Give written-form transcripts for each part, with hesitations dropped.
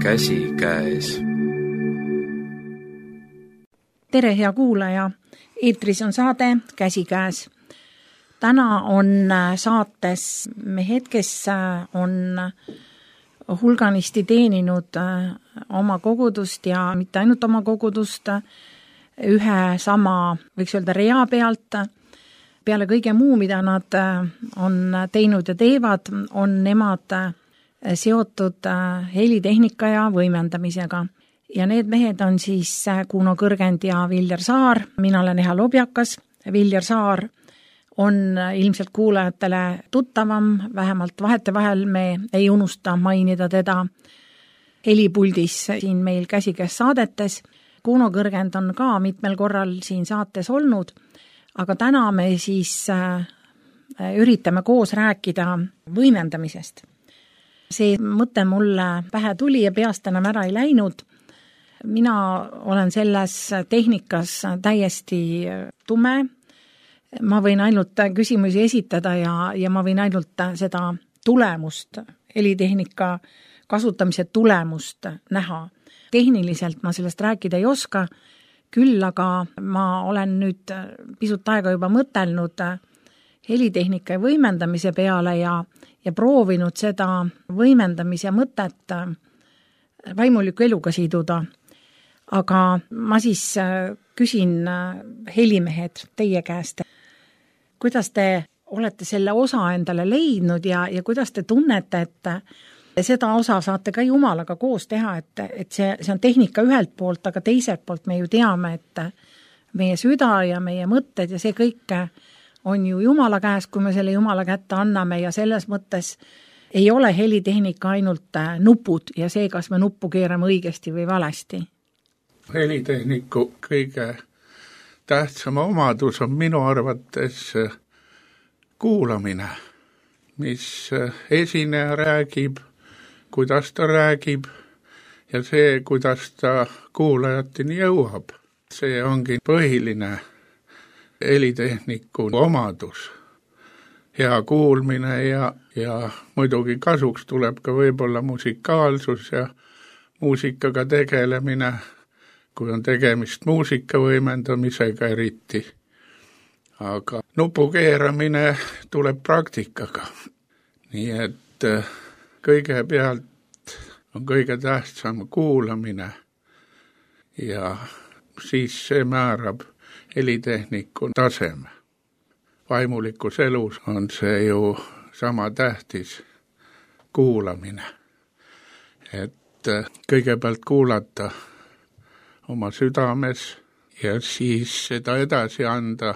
Käsikäes. Tere, hea kuulaja! Eetris on saade Käsikäes. Täna on saates mehed, kes on hulganisti teeninud oma kogudust ja mitte ainult oma kogudust ühe sama, võiks öelda, rea pealt. Peale kõige muu, mida nad on teinud ja teevad, on nemad seotud helitehnika ja võimendamisega. Ja need mehed on siis Kuno Kõrgend ja Viljar Saar. Mina olen Eha Lobjakas. Viljar Saar on ilmselt kuulajatele tuttavam, vähemalt vahetevahel me ei unusta mainida teda helipuldis siin meil Käsikäes saadetes. Kuno Kõrgend on ka mitmel korral siin saates olnud, aga täna me siis üritame koos rääkida võimendamisest. See mõte mulle pähe tuli ja peast enam ära ei läinud. Mina olen selles tehnikas täiesti tume. Ma võin ainult küsimusi esitada ja ma võin ainult seda tulemust, helitehnika kasutamise tulemust näha. Tehniliselt ma sellest rääkida ei oska, küll aga ma olen nüüd pisut aega juba mõtelnud helitehnika ja võimendamise peale ja proovinud seda võimendamise mõtet vaimuliku eluga siduda. Aga ma siis küsin helimehed teie käest, kuidas te olete selle osa endale leidnud ja kuidas te tunnete, et seda osa saate ka Jumalaga koos teha, et see on tehnika ühelt poolt, aga teiselt poolt me ju teame, et meie süda ja meie mõtted ja see kõik on ju Jumala käes, kui me selle Jumala kätte anname ja selles mõttes ei ole helitehnika ainult nupud ja see, kas me nuppu keerame õigesti või valesti. Helitehniku kõige tähtsam omadus on minu arvates kuulamine, mis esineja räägib, kuidas ta räägib ja see, kuidas ta kuulajateni jõuab. See ongi põhiline helitehniku omadus. Hea kuulmine ja muidugi kasuks tuleb ka võib-olla musikaalsus ja muusikaga tegelemine, kui on tegemist muusika võimendamisega eriti. Aga nupu keeramine tuleb praktikaga. Nii et kõigepealt on kõige tähtsam kuulamine ja siis see määrab helitehniku taseme. Vaimulikus elus on see ju sama tähtis kuulamine. Et kõigepealt kuulata oma südames ja siis seda edasi anda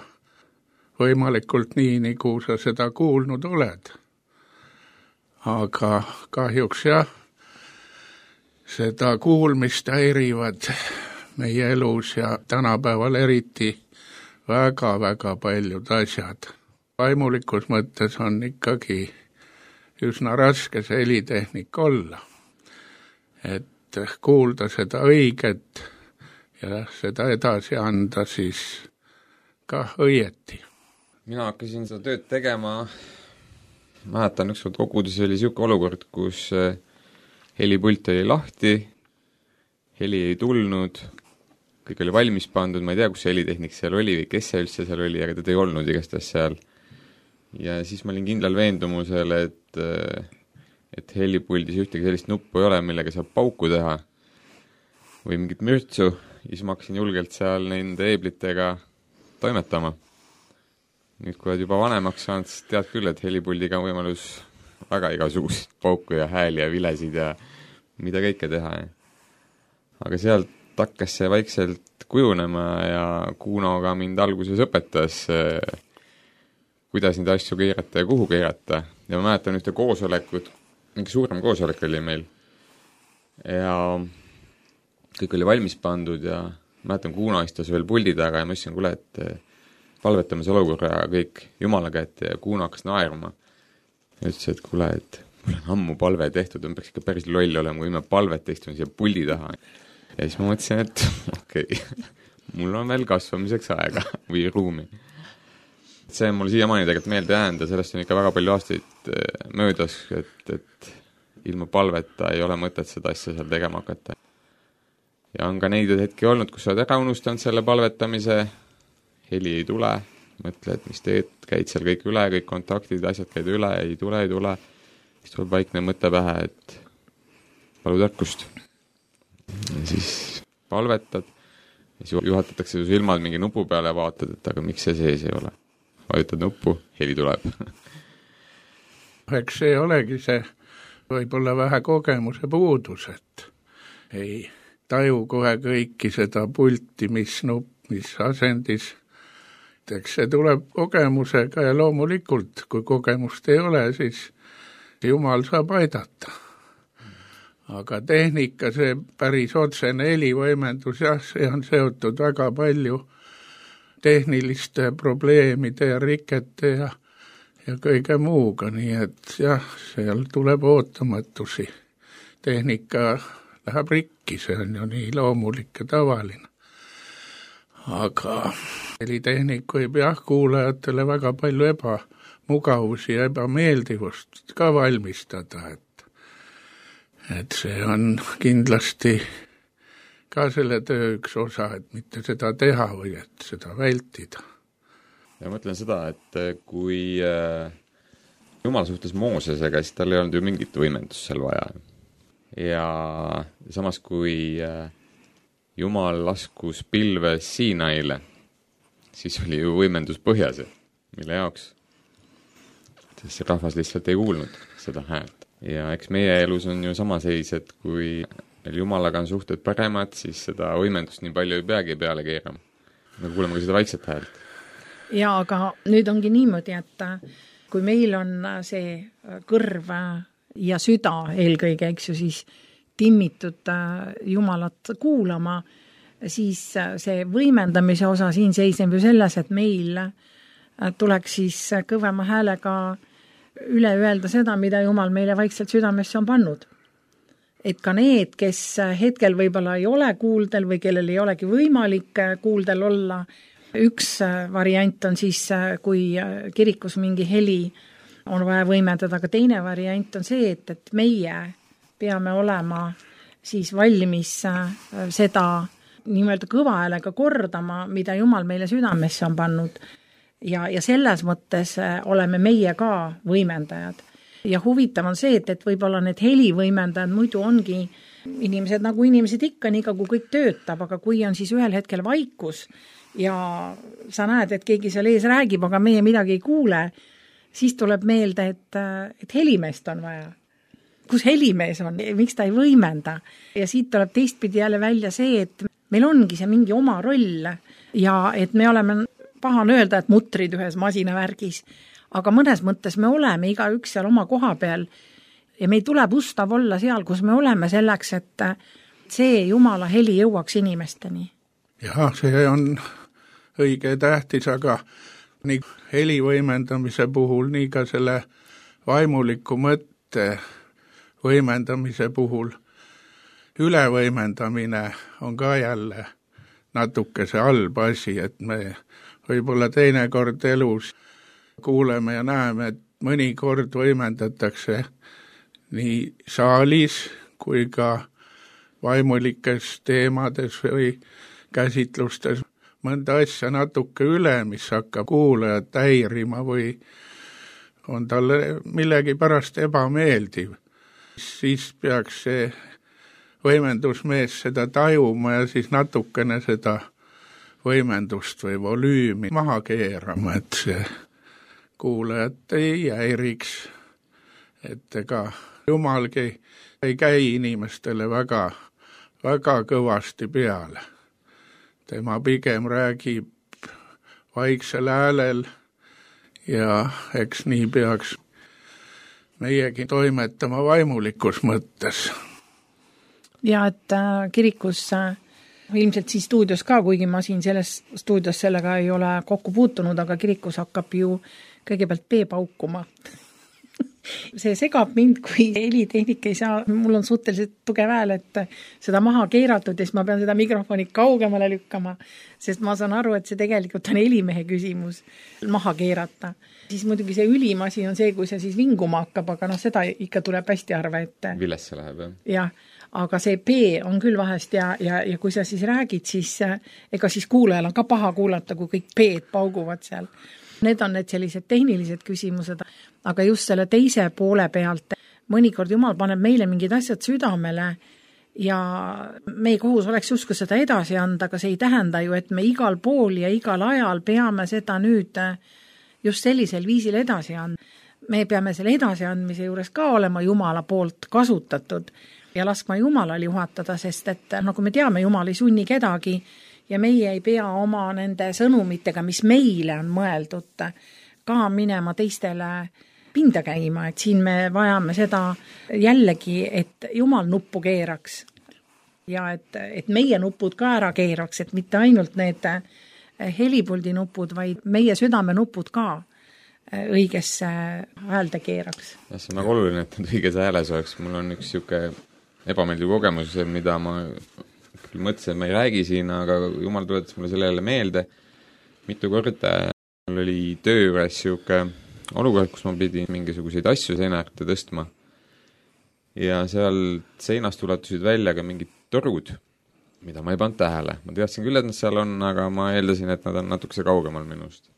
võimalikult nii, nagu sa seda kuulnud oled. Aga kahjuks seda kuulmist häirivad meie elus ja tänapäeval eriti väga-väga paljud asjad. Vaimulikus mõttes on ikkagi üsna raske see helitehnik olla. Et kuulda seda õiget ja seda edasi anda siis ka õieti. Mina hakkasin seda tööd tegema, mäletan ükskord kogudus oli selline olukord, kus helipult oli lahti, heli ei tulnud, kõik oli valmis pandud, ma ei tea, kus helitehnik seal oli või kes see üldse seal oli, aga teda ei olnud igastahes seal. Ja siis ma olin kindlal veendumusel, et helipuldis ühtegi sellist nuppu ei ole, millega saab pauku teha või mingit mürtsu, ja siis ma hakkasin julgelt seal nende eeblitega toimetama. Nüüd, kui oled juba vanemaks saanud, siis tead küll, et helipuldiga on võimalus väga igasuguseid pauku ja hääli ja vilesid ja mida kõike teha. Aga sealt hakkas see vaikselt kujunema ja Kunoga mind alguses õpetas, kuidas neid asju keerata ja kuhu keerata. Ja ma mäletan ühte koosolekut, mingi suurem koosolek oli meil. Ja kõik oli valmis pandud ja mäletan Kuno istus veel puldi taga ja ma ütlesin, kuule, et palvetame see olukorra kõik Jumala kätte ja Kuno hakkas naerma. Ja ütles, et kuule, et mul on ammu palve tehtud, on peaks ikka päris loll olema, kui me palvet istun siia puldi taha. Ja siis ma mõtlesin, et okei, mul on veel kasvamiseks aega või ruumi. See on mul siiamaani tegelikult meelde jäänud ja sellest on ikka väga palju aastaid möödas, et ilma palveta ei ole mõtet seda asja seal tegema hakata. Ja on ka neid hetki olnud, kus sa oled ära unustanud selle palvetamise, heli ei tule, mõtled, mis teed, käid seal kõik üle, kõik kontaktid, asjad käid üle, ei tule, siis tuleb vaikne mõte pähe, et palu tarkust. Ja siis palvetad, siis juhatatakse su silmad mingi nupu peale ja vaatad, et aga miks see sees ei ole. Vajutad nuppu, heli tuleb. Eks see olegi see võib-olla vähe kogemuse puudus, et ei taju kohe kõiki seda pulti, mis nupp, mis asendis. Eks see tuleb kogemusega ja loomulikult, kui kogemust ei ole, siis Jumal saab aidata. Aga tehnika, see päris otsene helivõimendus, jah, see on seotud väga palju tehniliste probleemide ja rikete ja kõige muuga, nii et jah, seal tuleb ootamatusi. Tehnika läheb rikki, see on ju nii loomulik ja tavaline. Aga helitehnik võib jah kuulajatele väga palju ebamugavusi ja ebameeldivust ka valmistada, et see on kindlasti ka selle töö üks osa, et mitte seda teha või et seda vältida. Ja mõtlen seda, et kui Jumal suhtles Moosesega, siis tal ei olnud ju mingit võimendust seal vaja. Ja samas kui Jumal laskus pilves Siinaile, siis oli ju võimendus põhjas, mille jaoks. Sest see rahvas lihtsalt ei kuulnud seda häält. Ja eks meie elus on ju sama seis, et kui Jumalaga on suhted paremad, siis seda võimendust nii palju ei peagi peale keerama. Me kuuleme ka seda vaikset häält. Ja aga nüüd ongi niimoodi, et kui meil on see kõrv ja süda eelkõige, eks ju, siis timmitud Jumalat kuulama, siis see võimendamise osa siin seisneb ju selles, et meil tuleks siis kõvema häälega üle öelda seda, mida Jumal meile vaikselt südamesse on pannud. Et ka need, kes hetkel võib-olla ei ole kuuldel või kellel ei olegi võimalik kuuldel olla, üks variant on siis, kui kirikus mingi heli on vaja võimendada, aga teine variant on see, et meie peame olema siis valmis seda nimelt kõva häälega kordama, mida Jumal meile südamesse on pannud. Ja selles mõttes oleme meie ka võimendajad. Ja huvitav on see, et võib-olla need helivõimendajad muidu ongi inimesed nagu inimesed ikka, nii kui kõik töötab, aga kui on siis ühel hetkel vaikus ja sa näed, et keegi seal ees räägib, aga meie midagi ei kuule, siis tuleb meelde, et helimeest on vaja. Kus helimees on? Miks ta ei võimenda? Ja siit tuleb teistpidi jälle välja see, et meil ongi see mingi oma roll ja et me oleme, pahan öelda, et mutrid ühes masinavärgis, aga mõnes mõttes me oleme iga üks seal oma koha peal ja meil tuleb ustav olla seal, kus me oleme selleks, et see Jumala heli jõuaks inimesteni. Jah, see on õige tähtis, aga nii heli võimendamise puhul, nii ka selle vaimuliku mõtte võimendamise puhul ülevõimendamine on ka jälle natuke see halb asi, et me võib-olla teinekord elus kuuleme ja näeme, et mõnikord võimendatakse nii saalis kui ka vaimulikes teemades või käsitlustes mõnda asja natuke üle, mis hakkab kuulajat häirima või on talle millegi pärast ebameeldiv. Siis peaks see võimendusmees seda tajuma ja siis natukene seda võimendust või volüümi maha keerama, et see kuulajat ei häiriks, et ega Jumalgi ei käi inimestele väga kõvasti peale. Tema pigem räägib vaiksel häälel ja eks nii peaks meiegi toimetama vaimulikus mõttes. Ja et kirikus ilmselt siis stuudios ka, kuigi ma siin selles stuudios sellega ei ole kokku puutunud, aga kirikus hakkab ju kõigepealt paukuma. See segab mind, kui helitehnik ei saa, mul on suhteliselt tugev hääl, et seda maha keeratud ja siis ma pean seda mikrofoni kaugemale lükkama, sest ma saan aru, et see tegelikult on helimehe küsimus maha keerata. Siis muidugi see ülim asi on see, kui see siis vinguma hakkab, aga seda ikka tuleb hästi harva, et Villesse läheb, jah? Jah, aga see P on küll vahest ja kui sa siis räägid, siis ega siis kuulajal on ka paha kuulata, kui kõik P-d pauguvad seal. Need on need sellised tehnilised küsimused, aga just selle teise poole pealt mõnikord Jumal paneb meile mingid asjad südamele ja meie kohus oleks justkui seda edasi anda, aga see ei tähenda ju, et me igal pool ja igal ajal peame seda nüüd just sellisel viisil edasi anda. Me peame selle edasiandmise juures ka olema Jumala poolt kasutatud ja laskma Jumalal juhatada, sest et nagu me teame, Jumal ei sunni kedagi ja meie ei pea oma nende sõnumitega, mis meile on mõeldud, ka minema teistele pinda käima, et siin me vajame seda jällegi, et Jumal nuppu keeraks ja et meie nupud ka ära keeraks, et mitte ainult need helipuldi nupud, vaid meie südame nupud ka õigesse häälde keeraks. Ja see on väga oluline, et need õiges hääles oleks. Mul on üks siuke ebameeldiv kogemus, mida ma mõtlesin, et ma ei räägi siin, aga Jumal tuletas mulle sellele meelde. Mitu korda mul oli töö juures siuke olukord, kus ma pidin mingisuguseid asju seina äärde tõstma. Ja seal seinast ulatusid välja ka mingid torud, mida ma ei pannud tähele. Ma teadsin küll, et nad seal on, aga ma eeldasin, et nad on natukese kaugemal minust.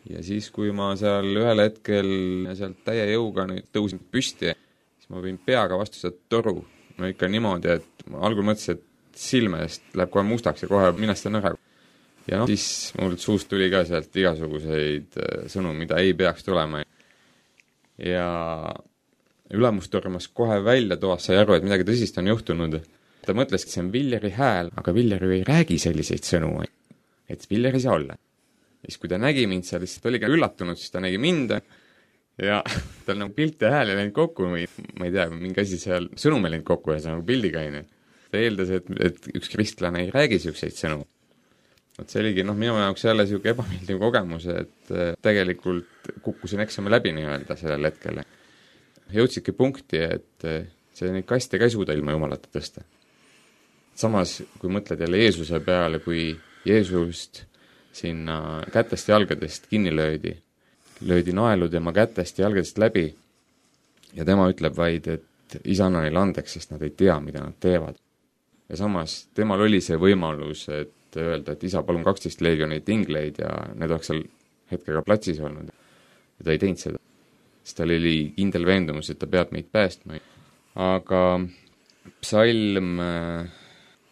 Ja siis, kui ma seal ühel hetkel sealt täie jõuga nüüd tõusin püsti, siis ma võin peaga vastu seda toru. No ikka niimoodi, et ma algul mõtlesin, et silmest läheb kohe mustaks ja kohe minastan ära. Ja siis mul suust tuli ka sealt igasuguseid sõnu, mida ei peaks tulema. Ja ülemus tormas kohe välja toas, sai aru, et midagi tõsist on juhtunud. Ta mõtles, et see on Villeri hääl, aga Viller ju ei räägi selliseid sõnu, et Viller ei saa olla. Ja siis, kui ta nägi mind seal, siis ta oli ka üllatunud, siis ta nägi mind ja tal nagu pilt ja hääl ei läinud kokku, ma ei tea, mingi asi seal sõnum ei läinud kokku ja see nagu pildiga aine. Ta eeldas, et üks kristlane ei räägi siukseid sõnu. See oligi minu jaoks jälle siuke ebameeldiv kogemus, et tegelikult kukkusin eksami läbi nii-öelda sellel hetkel. Jõudsidki punkti, et see neid kaste ka ei suuda ilma Jumalata tõsta. Samas, kui mõtled jälle Jeesuse peale, kui Jeesust sinna kätest ja jalgadest kinni löödi naelu tema kätest ja jalgadest läbi ja tema ütleb vaid, et isa anna neile andeks, sest nad ei tea, mida nad teevad. Ja samas temal oli see võimalus, et öelda, et isa, palun 12 leegionit ingleid ja need oleks seal hetkega platsis olnud. Ja ta ei teinud seda. Sest tal oli kindel veendumus, et ta peab meid päästma. Aga psalm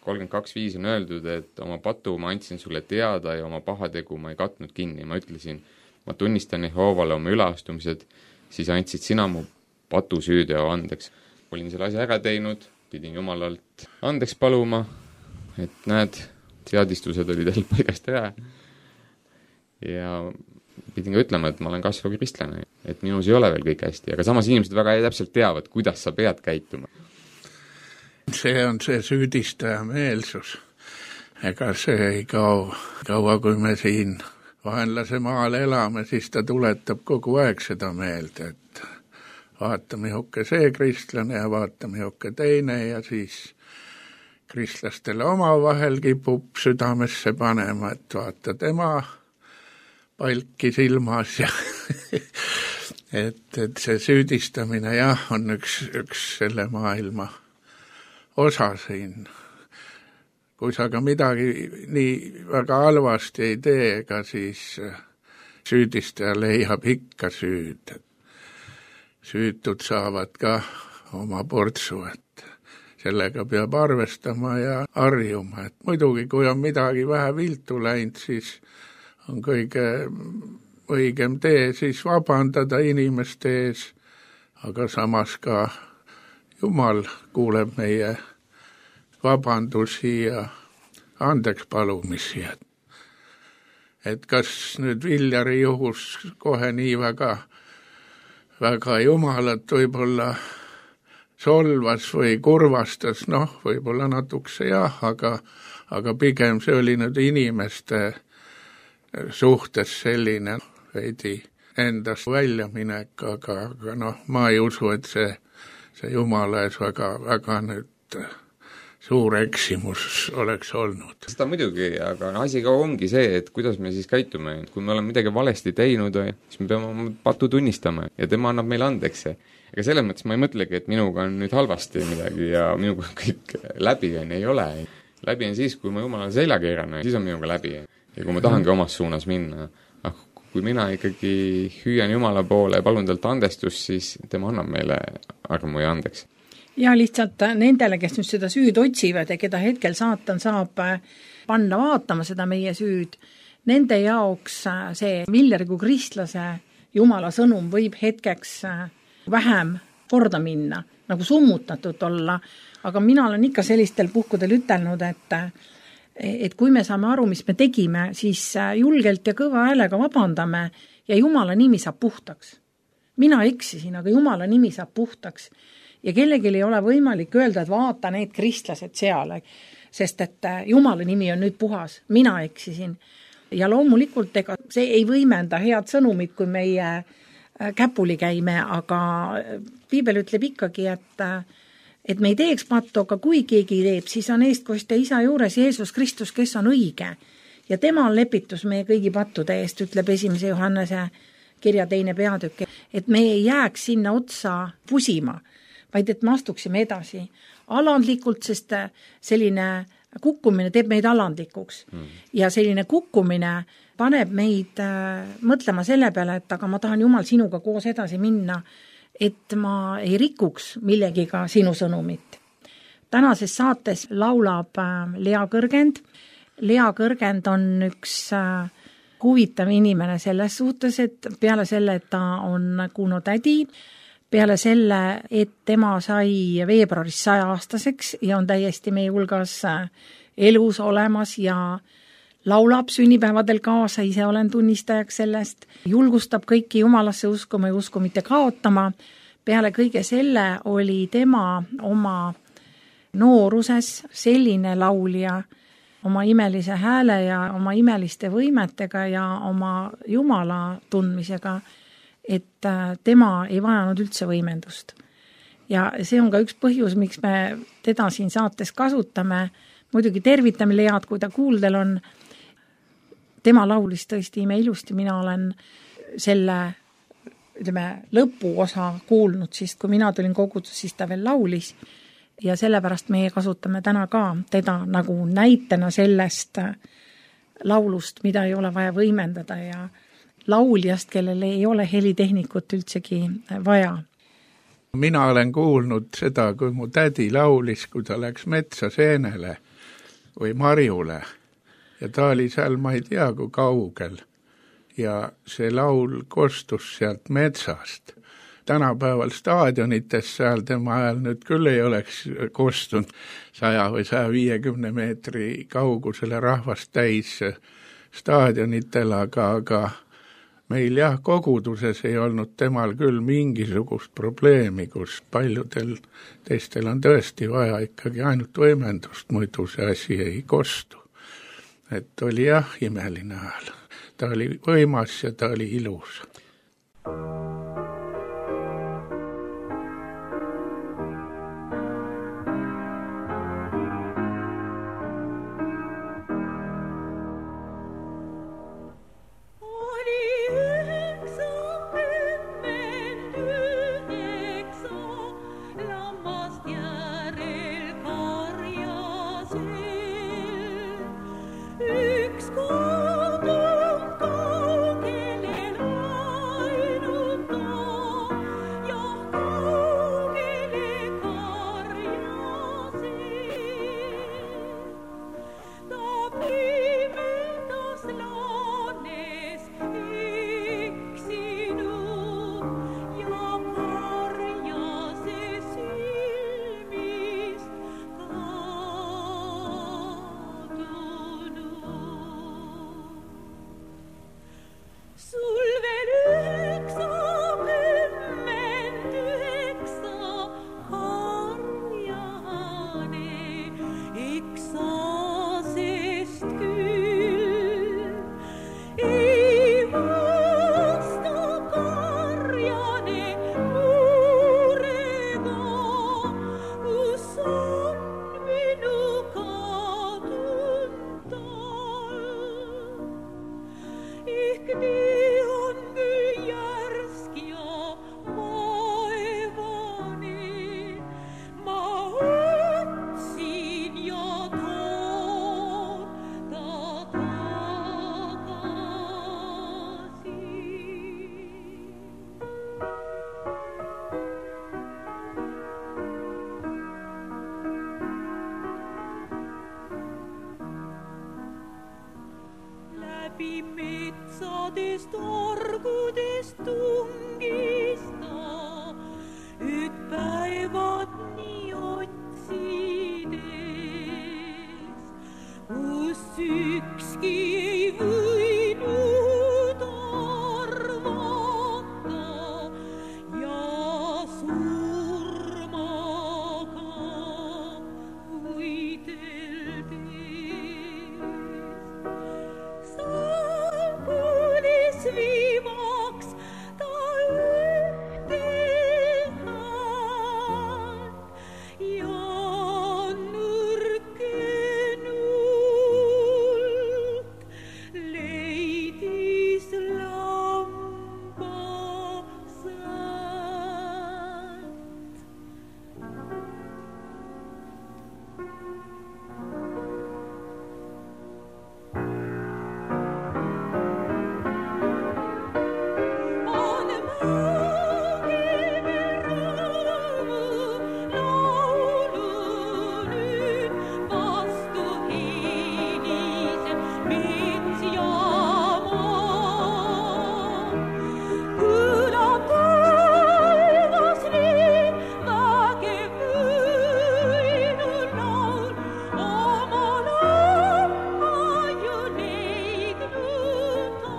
32.5 on öeldud, et oma patu ma andsin sulle teada ja oma pahategu ma ei katnud kinni. Ma ütlesin, ma tunnistan Jehoovale oma üleastumised, siis andsid sina mu patu süüdeo andeks. Olin selle asja ära teinud, pidin Jumalalt andeks paluma, et näed, teadistused olid jälle paigast ära. Ja pidin ka ütlema, et ma olen kasvav kristlane, et minus ei ole veel kõik hästi, aga samas inimesed väga täpselt teavad, kuidas sa pead käituma. See on see süüdistaja meelsus. Ega see ei kaua, kui me siin vaenlase maal elame, siis ta tuletab kogu aeg seda meelde, et vaata mihuke see kristlane ja vaata mihuke teine ja siis kristlastele omavahel kipub südamesse panema, et vaata tema palki silmas ja et see süüdistamine jah, on üks selle maailma osa siin. Kui sa ka midagi nii väga halvasti ei tee, ega siis süüdistaja leiab ikka süüd. Süütud saavad ka oma portsu, et sellega peab arvestama ja harjuma. Et muidugi, kui on midagi vähe viltu läinud, siis on kõige õigem tee siis vabandada inimeste ees, aga samas ka Jumal kuuleb meie vabandusi ja andeks palumisi. Et kas nüüd Viljari juhus kohe nii väga Jumalat võib-olla solvas või kurvastas, võib-olla natukese jah, aga pigem see oli nüüd inimeste suhtes selline veidi endast väljaminek, aga noh, ma ei usu, et see Jumala ees väga nüüd suur eksimus oleks olnud. Seda muidugi, aga asi ka ongi see, et kuidas me siis käitume. Kui me oleme midagi valesti teinud, siis me peame oma patu tunnistama ja tema annab meile andeks. Ega selles mõttes ma ei mõtlegi, et minuga on nüüd halvasti midagi ja minuga kõik läbi on, ei ole. Läbi on siis, kui ma Jumala selja keeran, siis on minuga läbi. Ja kui ma tahangi omas suunas minna, kui mina ikkagi hüüan Jumala poole ja palun talt andestust, siis tema annab meile armu ja andeks. Ja lihtsalt nendele, kes nüüd seda süüd otsivad ja keda hetkel saatan saab panna vaatama seda meie süüd, nende jaoks see Villerigu kristlase Jumala sõnum võib hetkeks vähem korda minna, nagu summutatud olla, aga mina olen ikka sellistel puhkudel ütelnud, et kui me saame aru, mis me tegime, siis julgelt ja kõva häälega vabandame ja Jumala nimi saab puhtaks. Mina eksisin, aga Jumala nimi saab puhtaks. Ja kellelgi ei ole võimalik öelda, et vaata need kristlased seal, sest et Jumala nimi on nüüd puhas, mina eksisin. Ja loomulikult ega see ei võimenda head sõnumit, kui meie käpuli käime, aga Piibel ütleb ikkagi, et me ei teeks pattu, aga kui keegi teeb, siis on eestkoste isa juures Jeesus Kristus, kes on õige. Ja tema on lepitus meie kõigi pattude eest, ütleb 1. Johannese kirja 2. peatükk, et me ei jääks sinna otsa pusima, vaid et me astuksime edasi alandlikult, sest selline kukkumine teeb meid alandlikuks. Ja selline kukkumine paneb meid mõtlema selle peale, et aga ma tahan Jumal sinuga koos edasi minna, et ma ei rikuks millegiga sinu sõnumit. Tänases saates laulab Lea Kõrgend. Lea Kõrgend on üks huvitav inimene selles suhtes, et peale selle, et ta on Kuno tädi, peale selle, et tema sai veebruaris 100-aastaseks ja on täiesti meie hulgas elus olemas ja laulab sünnipäevadel kaasa, ise olen tunnistajaks sellest, julgustab kõiki Jumalasse uskuma ja usku mitte kaotama. Peale kõige selle oli tema oma nooruses selline laulja oma imelise hääle ja oma imeliste võimetega ja oma Jumala tundmisega, et tema ei vajanud üldse võimendust. Ja see on ka üks põhjus, miks me teda siin saates kasutame. Muidugi tervitame Lead, kui ta kuuldel on. Tema laulis tõesti imeilusti, mina olen selle lõpuosa kuulnud, siis kui mina tulin kogudus, siis ta veel laulis. Ja sellepärast meie kasutame täna ka teda nagu näitena sellest laulust, mida ei ole vaja võimendada ja lauljast, kellel ei ole helitehnikut üldsegi vaja. Mina olen kuulnud seda, kui mu tädi laulis, kui ta läks metsa seenele või marjule ja ta oli seal, ma ei tea, kui kaugel ja see laul kostus sealt metsast. Tänapäeval staadionites seal tema ajal nüüd küll ei oleks kostunud 100 või 150 meetri kaugusele rahvast täis staadionitel, aga meil jah, koguduses ei olnud temal küll mingisugust probleemi, kus paljudel teistel on tõesti vaja ikkagi ainult võimendust, muidu see asi ei kostu. Et oli jah, imeline hääl. Ta oli võimas ja ta oli ilus. Üks kodum kaugele ainult tungis ta, et päevad nii otsides, kus ükski ei võinud arvata ja surmaga võideldes. Saabulis viimaks ta ühte häält ja nõrkenult leidis lambasäält. On mängime rõõmu laulu nüüd, vastu heliseb mets ja maa. Kõlab taevas nüüd vägev võidulaul, oma lamma ju leidnud ta.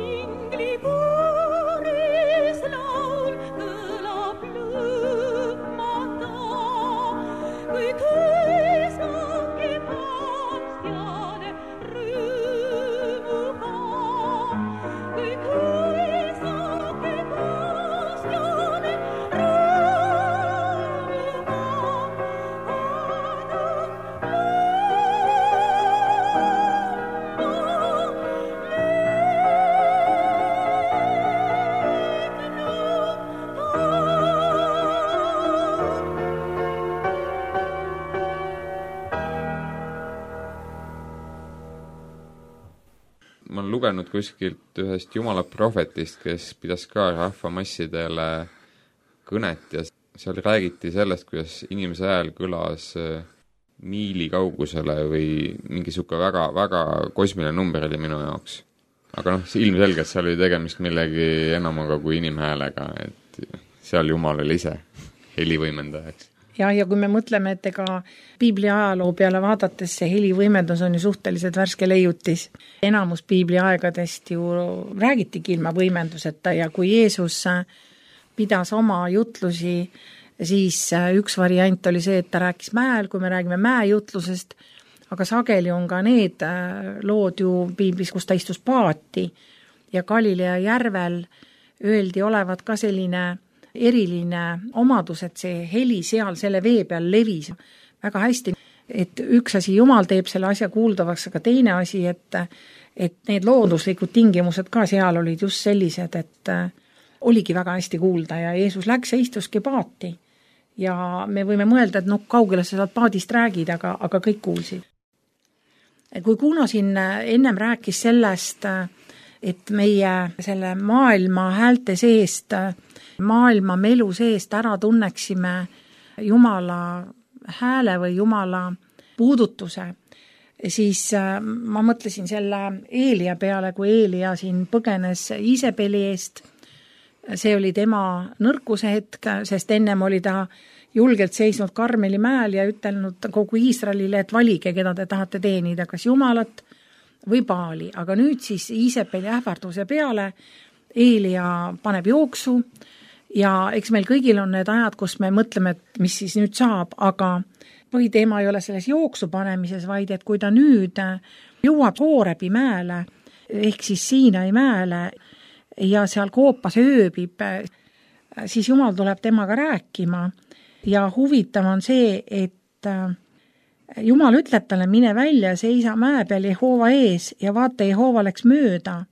Inglikooris laul kõlab lõpmata, kui tõesake paastjane rõõmuga, kui tõesake paastjane ma olen lugenud kuskilt ühest jumala prohvetist, kes pidas ka rahvamassidele kõnet ja seal räägiti sellest, kuidas inimese hääl kõlas miili kaugusele või mingi siuke väga, väga kosmiline number oli minu jaoks. Aga ilmselgelt seal oli tegemist millegi enamaga kui inimhäälega, et seal Jumal oli ise helivõimendajaks. Ja kui me mõtleme, et ega piibli ajaloo peale vaadates see helivõimendus on ju suhteliselt värske leiutis. Enamus piibli aegadest ju räägitigi ilma võimenduseta ja kui Jeesus pidas oma jutlusi, siis üks variant oli see, et ta rääkis mäel, kui me räägime mäejutlusest, aga sageli on ka need lood ju piiblis, kus ta istus paati ja Galilea järvel öeldi olevat ka selline eriline omadus, et see heli seal selle vee peal levis väga hästi, et üks asi Jumal teeb selle asja kuuldavaks, aga teine asi, et need looduslikud tingimused ka seal olid just sellised, et oligi väga hästi kuulda ja Jeesus läks ja istuski paati. Ja me võime mõelda, et kaugele sa saad paadist räägid, aga kõik kuulsid. Kui Kuno siin ennem rääkis sellest, et meie selle maailma häälte seest, maailma melu seest ära tunneksime Jumala hääle või Jumala puudutuse, siis ma mõtlesin selle Eelia peale, kui Eelia siin põgenes Iisebeli eest. See oli tema nõrkuse hetk, sest ennem oli ta julgelt seisnud Karmeli mäel ja ütelnud kogu Iisraelile, et valige, keda te tahate teenida, kas Jumalat või Baali. Aga nüüd siis Iisebeli ähvarduse peale Eelia paneb jooksu ja eks meil kõigil on need ajad, kus me mõtleme, et mis siis nüüd saab, aga põhiteema ei ole selles jooksu panemises, vaid et kui ta nüüd jõuab Hoorebi mäele ehk siis Siinai mäele ja seal koopas ööbib, siis Jumal tuleb temaga rääkima ja huvitav on see, et Jumal ütleb talle, mine välja, seisa mäe peal Jehova ees ja vaata, Jehova läks mööda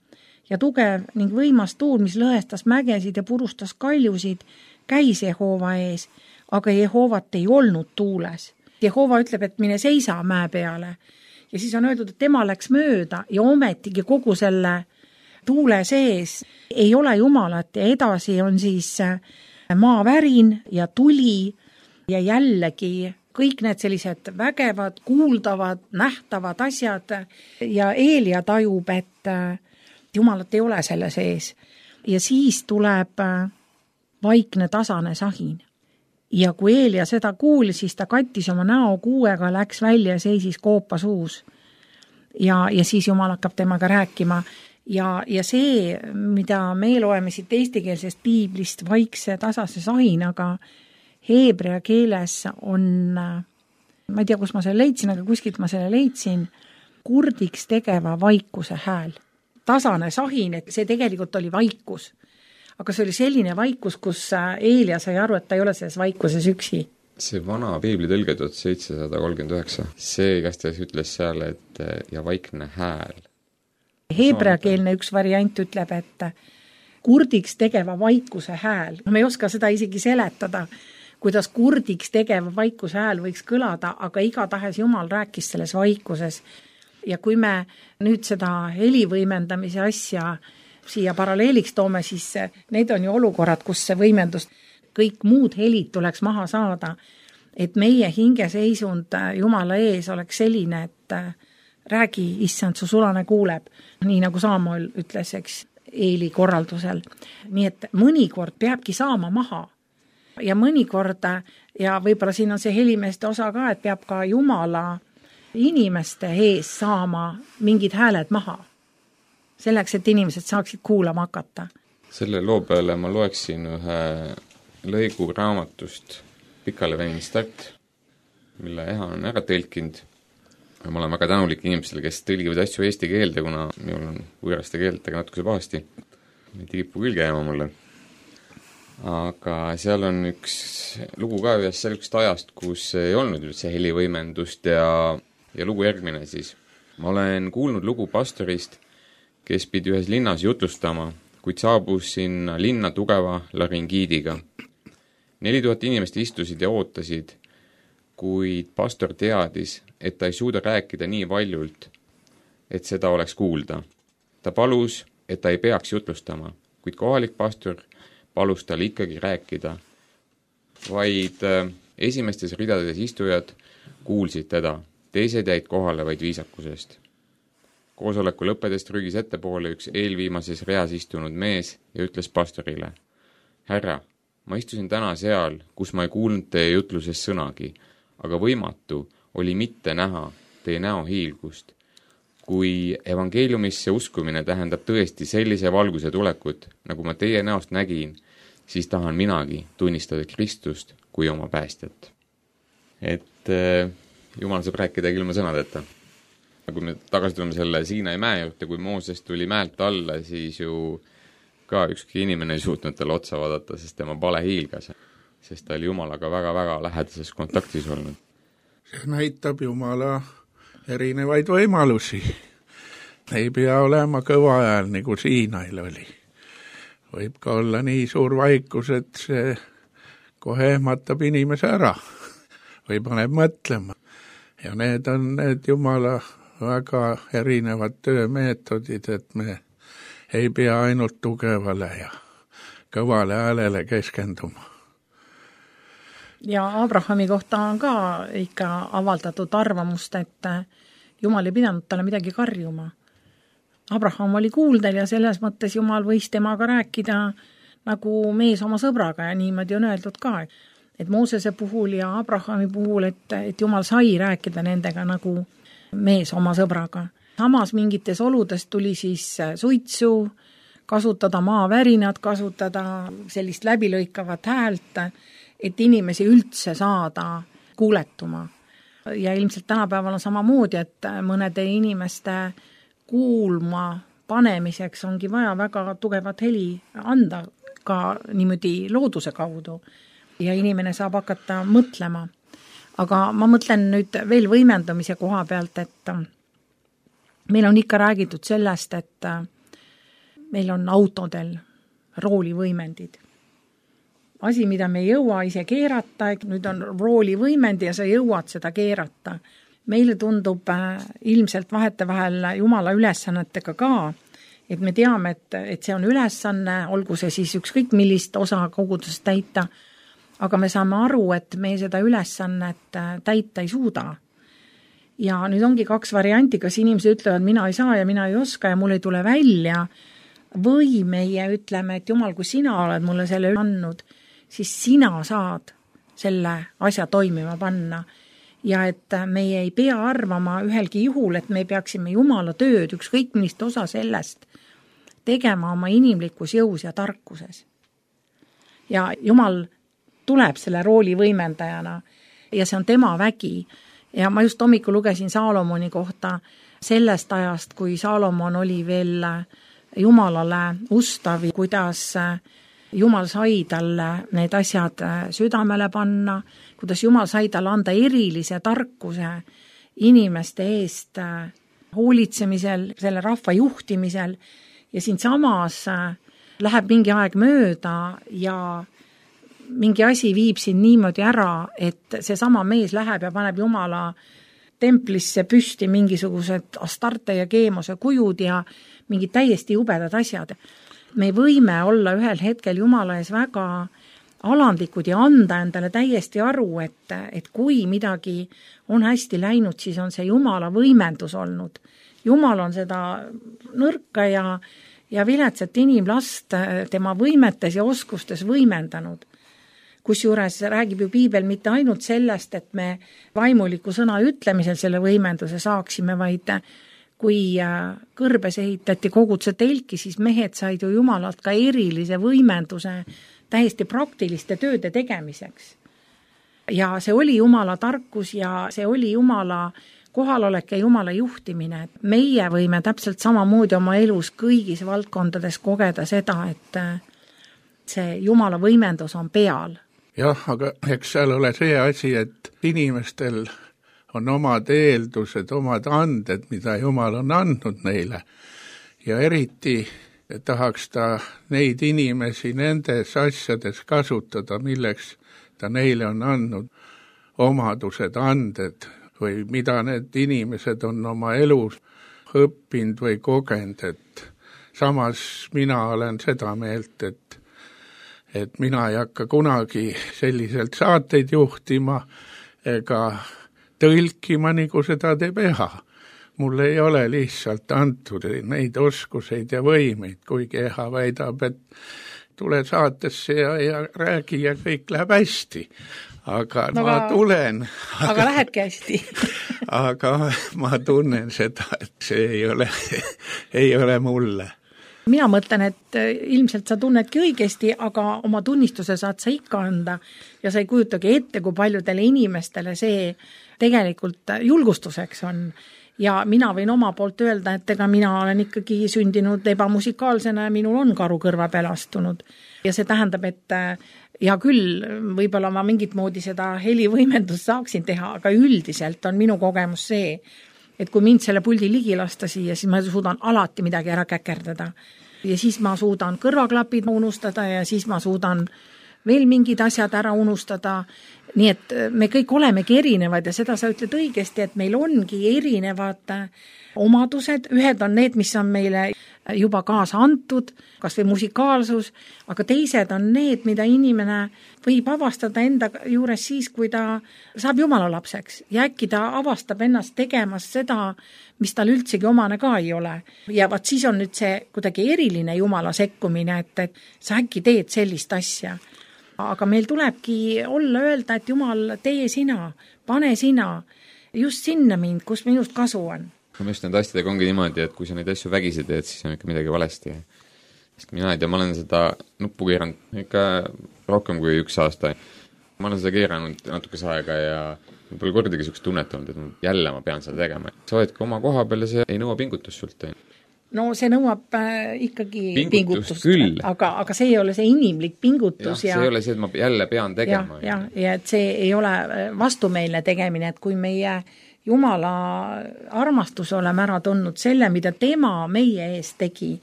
ja tugev ning võimas tuul, mis lõhestas mägesid ja purustas kaljusid, käis Jehova ees, aga Jehovat ei olnud tuules. Jehova ütleb, et mine seisa mäe peale ja siis on öeldud, et tema läks mööda ja ometigi kogu selle tuule sees ei ole Jumalat ja edasi on siis maavärin ja tuli ja jällegi kõik need sellised vägevad, kuuldavad, nähtavad asjad ja Eelia tajub, et Jumalat ei ole selle sees. Ja siis tuleb vaikne tasane sahin. Ja kui Eelia seda kuulis, siis ta kattis oma näo kuuega, läks välja ja seisis koopa suus. Ja siis Jumal hakkab temaga rääkima. Ja see, mida me loeme siit eestikeelsest piiblist vaikse tasase sahinaga, heebrea keeles on, ma ei tea, kus ma selle leidsin, aga kuskilt ma selle leidsin, kurdiks tegeva vaikuse hääl. Tasane sahin, et see tegelikult oli vaikus. Aga see oli selline vaikus, kus Eelia sai aru, et ta ei ole selles vaikuses üksi. See vana piibli tõlge 1739, see igastahes ütles seal, et ja vaikne hääl. Heebreakeelne üks variant ütleb, et kurdiks tegeva vaikuse hääl. Me ei oska seda isegi seletada, kuidas kurdiks tegeva vaikuse hääl võiks kõlada, aga igatahes Jumal rääkis selles vaikuses. Ja kui me nüüd seda helivõimendamise asja siia paralleeliks toome, siis need on ju olukorrad, kus see võimendus, kõik muud helid tuleks maha saada, et meie hingeseisund Jumala ees oleks selline, et räägi, issand, su sulane kuuleb, nii nagu Samuel ütles, eks, Eeli korraldusel. Nii et mõnikord peabki saama maha ja mõnikord, ja võib-olla siin on see helimeeste osa ka, et peab ka Jumala inimeste ees saama mingid hääled maha. Selleks, et inimesed saaksid kuulama hakata. Selle loo peale ma loeksin ühe lõigu raamatust Pikale veninud start, mille Eha on ära tõlkinud. Ma olen väga tänulik inimestele, kes tõlgivad asju eesti keelde, kuna minul on võõraste keeltega natukese pahasti. Neid ei kipu külge jääma mulle. Aga seal on üks lugu ka ühest sellisest ajast, kus ei olnud üldse helivõimendust ja lugu järgmine siis. Ma olen kuulnud lugu pastorist, kes pidi ühes linnas jutlustama, kuid saabus sinna linna tugeva laringiidiga. 4000 inimest istusid ja ootasid, kuid pastor teadis, et ta ei suuda rääkida nii valjult, et seda oleks kuulda. Ta palus, et ta ei peaks jutlustama, kuid kohalik pastor palus tal ikkagi rääkida. Vaid esimestes ridades istujad kuulsid teda, teised jäid kohale vaid viisakusest. Koosoleku lõppedest rügis ettepoole üks eelviimases reas istunud mees ja ütles pastorile: Härra, ma istusin täna seal, kus ma ei kuulnud teie jutluses sõnagi, aga võimatu oli mitte näha teie näo hiilgust. Kui evangeeliumisse uskumine tähendab tõesti sellise valguse tulekut, nagu ma teie näost nägin, siis tahan minagi tunnistada Kristust kui oma päästjat. Et Jumal saab rääkida ilma sõnadeta. Kui me tagasi tuleme selle Siinai mäe juurde, kui Mooses tuli mäelt alla, siis ju ka ükski inimene ei suutnud talle otsa vaadata, sest tema pale hiilgas, sest ta oli Jumalaga väga-väga lähedases kontaktis olnud. See näitab Jumala erinevaid võimalusi. Ei pea olema kõva hääl, nagu Siinail oli. Võib ka olla nii suur vaikus, et see kohe ehmatab inimese ära või paneb mõtlema. Ja need on need Jumala väga erinevad töömeetodid, et me ei pea ainult tugevale ja kõvale häälele keskenduma. Ja Abrahami kohta on ka ikka avaldatud arvamust, et Jumal ei pidanud talle midagi karjuma. Abraham oli kuuldel ja selles mõttes Jumal võis temaga rääkida nagu mees oma sõbraga ja niimoodi on öeldud ka. Et Moosese puhul ja Abrahami puhul, et Jumal sai rääkida nendega nagu mees oma sõbraga. Samas mingites oludes tuli siis suitsu, kasutada maavärinad, kasutada sellist läbilõikavat häält, et inimesi üldse saada kuuletuma. Ja ilmselt tänapäeval on samamoodi, et mõnede inimeste kuulma panemiseks ongi vaja väga tugevat heli anda ka niimoodi looduse kaudu ja inimene saab hakata mõtlema. Aga ma mõtlen nüüd veel võimendamise koha pealt, et meil on ikka räägitud sellest, et meil on autodel roolivõimendid. Asi, mida me ei jõua ise keerata, nüüd on roolivõimendi ja sa jõuad seda keerata. Meile tundub ilmselt vahetevahel Jumala ülesannetega ka, et me teame, et see on ülesanne, olgu see siis ükskõik millist osa kogudusest täita, aga me saame aru, et me seda ülesannet täita ei suuda. Ja nüüd ongi 2 varianti, kas inimesed ütlevad, mina ei saa ja mina ei oska ja mul ei tule välja, või meie ütleme, et Jumal, kui sina oled mulle selle andnud, siis sina saad selle asja toimima panna. Ja et meie ei pea arvama ühelgi juhul, et me peaksime Jumala tööd, ükskõik millist osa sellest, tegema oma inimlikus jõus ja tarkuses. Ja Jumal tuleb selle rooli võimendajana ja see on tema vägi. Ja ma just hommikul lugesin Saalomoni kohta sellest ajast, kui Saalomon oli veel Jumalale ustav, kuidas Jumal sai talle need asjad südamele panna, kuidas Jumal sai talle anda erilise tarkuse inimeste eest hoolitsemisel, selle rahva juhtimisel ja siin samas läheb mingi aeg mööda ja mingi asi viib siin niimoodi ära, et see sama mees läheb ja paneb Jumala templisse püsti mingisugused Astarte ja Keemose kujud ja mingid täiesti jubedad asjad. Me võime olla ühel hetkel Jumala ees väga alandlikud ja anda endale täiesti aru, et kui midagi on hästi läinud, siis on see Jumala võimendus olnud. Jumal on seda nõrka ja viletsat inimlast tema võimetes ja oskustes võimendanud. Kusjuures räägib ju Piibel mitte ainult sellest, et me vaimuliku sõna ütlemisel selle võimenduse saaksime, vaid kui kõrbes ehitati koguduse telki, siis mehed said ju Jumalalt ka erilise võimenduse täiesti praktiliste tööde tegemiseks. Ja see oli Jumala tarkus ja see oli Jumala kohalolek ja Jumala juhtimine. Meie võime täpselt samamoodi oma elus kõigis valdkondades kogeda seda, et see Jumala võimendus on peal. Jah, aga eks seal ole see asi, et inimestel on omad eeldused, omad anded, mida Jumal on andnud neile. Ja eriti tahaks ta neid inimesi nendes asjades kasutada, milleks ta neile on andnud omadused, anded või mida need inimesed on oma elus õppinud või kogenud. Et samas mina olen seda meelt, et mina ei hakka kunagi selliselt saateid juhtima ega tõlkima, nagu seda teeb Eha. Mul ei ole lihtsalt antud neid oskuseid ja võimeid, kuigi Eha väidab, et tule saatesse ja räägi ja kõik läheb hästi. Aga ma tulen. Aga lähebki hästi. Aga ma tunnen seda, et see ei ole mulle. Mina mõtlen, et ilmselt sa tunnedki õigesti, aga oma tunnistuse saad sa ikka anda ja sa ei kujutagi ette, kui paljudele inimestele see tegelikult julgustuseks on. Ja mina võin oma poolt öelda, et ega mina olen ikkagi sündinud ebamusikaalsena ja minul on karu kõrva peal astunud. Ja see tähendab, et ja küll võib-olla ma mingit moodi seda helivõimendust saaksin teha, aga üldiselt on minu kogemus see, et kui mind selle puldi ligi lasta siia, siis ma suudan alati midagi ära käkerdada. Ja siis ma suudan kõrvaklapid unustada ja siis ma suudan veel mingid asjad ära unustada. Nii et me kõik olemegi erinevad ja seda sa ütled õigesti, et meil ongi erinevad omadused. Ühed on need, mis on meile juba kaasa antud, kas või musikaalsus, aga teised on need, mida inimene võib avastada enda juures siis, kui ta saab Jumala lapseks. Ja äkki ta avastab ennast tegemas seda, mis tal üldsegi omane ka ei ole. Ja vaat siis on nüüd see kuidagi eriline Jumala sekkumine, et sa äkki teed sellist asja. Aga meil tulebki olla öelda, et Jumal, tee sina, pane sina, just sinna mind, kus minust kasu on. Ma just need asjadega ongi niimoodi, et kui sa neid asju vägisi teed, siis on ikka midagi valesti. Sest mina ei tea, ma olen seda nuppu keeranud ikka rohkem kui 1 aasta. Ma olen seda keeranud natukese aega ja pole kordagi sellist tunnet olnud, et jälle ma pean seda tegema. Sa oledki oma koha peal ja see ei nõua pingutust sult. No see nõuab ikkagi pingutust aga see ei ole see inimlik pingutus. Ja see ei ole see, et ma jälle pean tegema. Ja et see ei ole vastumeelne tegemine, et kui meie Jumala armastus oleme ära tundnud selle, mida tema meie eest tegi,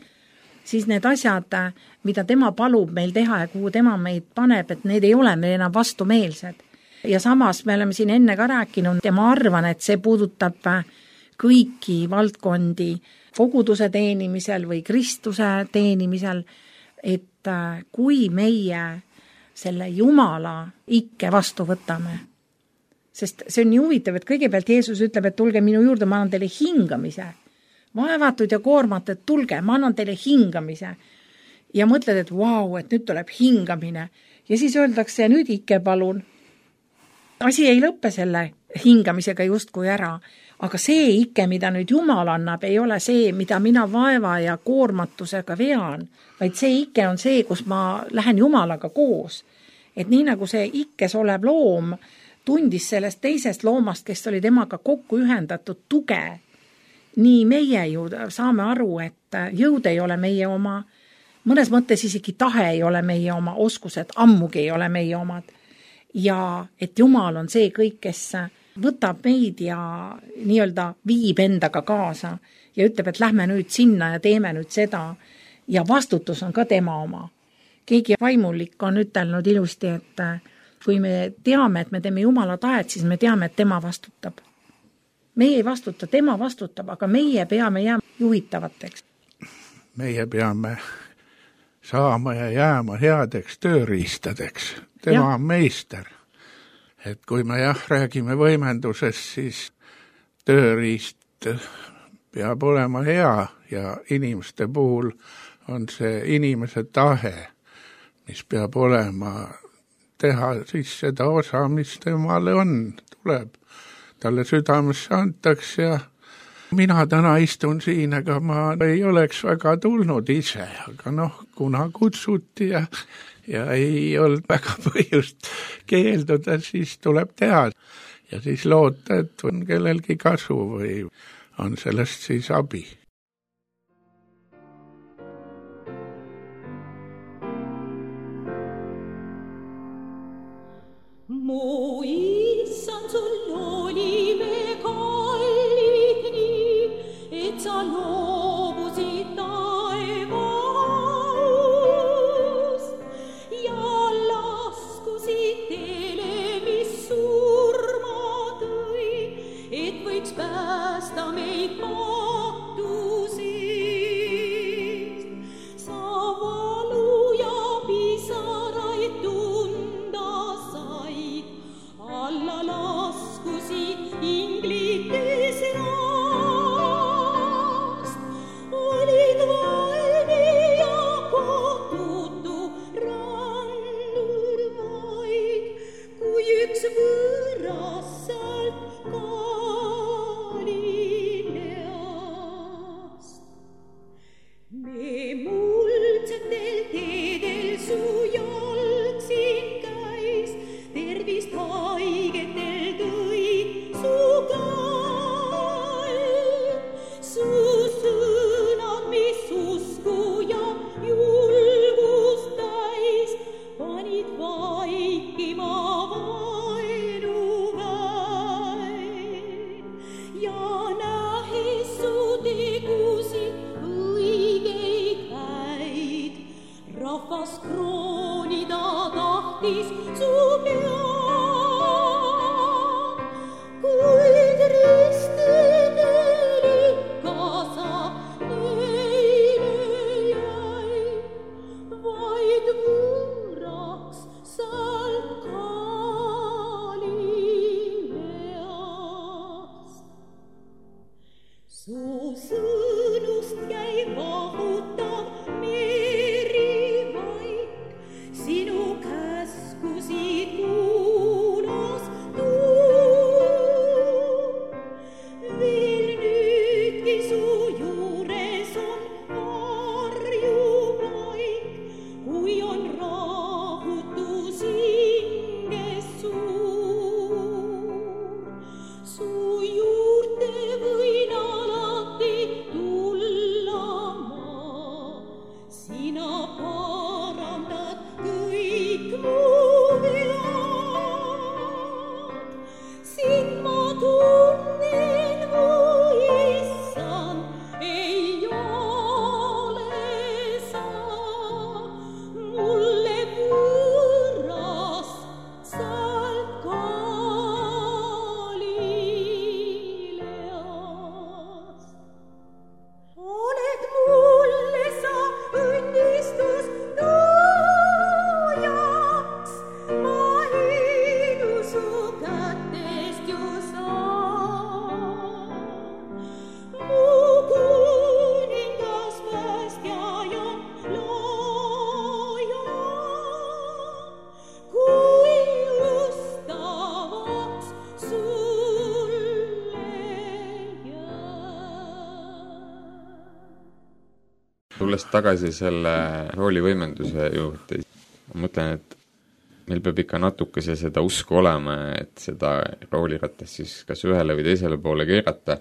siis need asjad, mida tema palub meil teha ja kuhu tema meid paneb, et need ei ole meil enam vastumeelsed. Ja samas me oleme siin enne ka rääkinud ja ma arvan, et see puudutab kõiki valdkondi koguduse teenimisel või Kristuse teenimisel, et kui meie selle Jumala ikke vastu võtame, Sest see on nii huvitav, et kõigepealt Jeesus ütleb, et tulge minu juurde, ma annan teile hingamise. Vaevatud ja koormatud, tulge, ma annan teile hingamise. Ja mõtled, et vau, et nüüd tuleb hingamine. Ja siis öeldakse, nüüd ikke palun. Asi ei lõppe selle hingamisega justkui ära, aga see ikke, mida nüüd Jumal annab, ei ole see, mida mina vaeva ja koormatusega vean, vaid see ikke on see, kus ma lähen Jumalaga koos. Et nii nagu see ikkes olev loom tundis sellest teisest loomast, kes oli temaga kokku ühendatud tuge, nii meie ju saame aru, et jõud ei ole meie oma, mõnes mõttes isegi tahe ei ole meie oma, oskused ammugi ei ole meie omad. Ja et Jumal on see kõik, kes võtab meid ja nii-öelda viib endaga kaasa ja ütleb, et lähme nüüd sinna ja teeme nüüd seda ja vastutus on ka tema oma. Keegi vaimulik on ütelnud ilusti, et kui me teame, et me teeme Jumala tahet, siis me teame, et tema vastutab. Meie ei vastuta, tema vastutab, aga meie peame jääma juhitavateks. Meie peame saama ja jääma headeks tööriistadeks. Tema on meister. Et kui me räägime võimendusest, siis tööriist peab olema hea ja inimeste puhul on see inimese tahe, mis peab olema teha siis seda osa, mis temale on, tuleb. Talle südamesse antakse ja mina täna istun siin, aga ma ei oleks väga tulnud ise, aga kuna kutsuti ja ei olnud väga põhjust keelduda, siis tuleb teha. Ja siis loota, et on kellelgi kasu või on sellest siis abi. Mu issand, sul oli me kallid nii, et sa loobusid taevaust ja laskusid teele, mis surma tõi, et võiks päästa meid patusest. Sa valu ja pisaraid tunda said, alla laskusid inglites rast. Olid valmi ja kohtutu randur vaid, kui üks võõras sealt Galileast. Me muldsetel teedel su jalg siin käis, tervist haigetel tõi su käed. Su sõnad, mis usku ja julgust täis, panid vaikima vaenuväed. Ja nähes su tegusid õigeid häid, rahvas kroonida tahtis su pead, kuid ristidel ikka sa neile jäi, vaid võõraks sealt Galileast. Su sõnust jäi vahutav meri vaik, sinu käskusid tulles tagasi selle roolivõimenduse juurde, ma mõtlen, et meil peab ikka natukese seda usku olema, et seda rooliratast siis kas ühele või teisele poole keerata.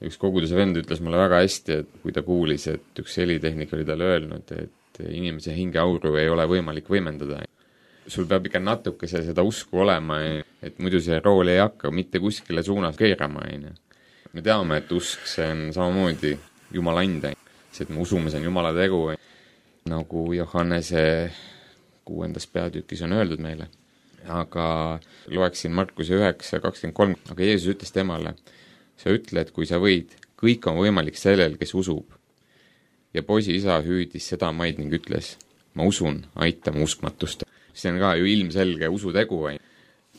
Üks koguduse vend ütles mulle väga hästi, et kui ta kuulis, et üks helitehnik oli talle öelnud, et inimese hingeauru ei ole võimalik võimendada. Sul peab ikka natukese seda usku olema, et muidu see rool ei hakka mitte kuskile suunas keerama. Me teame, et usk, see on samamoodi Jumala anda. See, et me usume, see on Jumala tegu, nagu Johannese 6. peatükis on öeldud meile. Aga loeksin Markuse 9:23, aga Jeesus ütles temale, sa ütle, et kui sa võid, kõik on võimalik sellel, kes usub. Ja poisi isa hüüdis seda maid ning ütles, ma usun, aita mu uskmatust. See on ka ju ilmselge usutegu.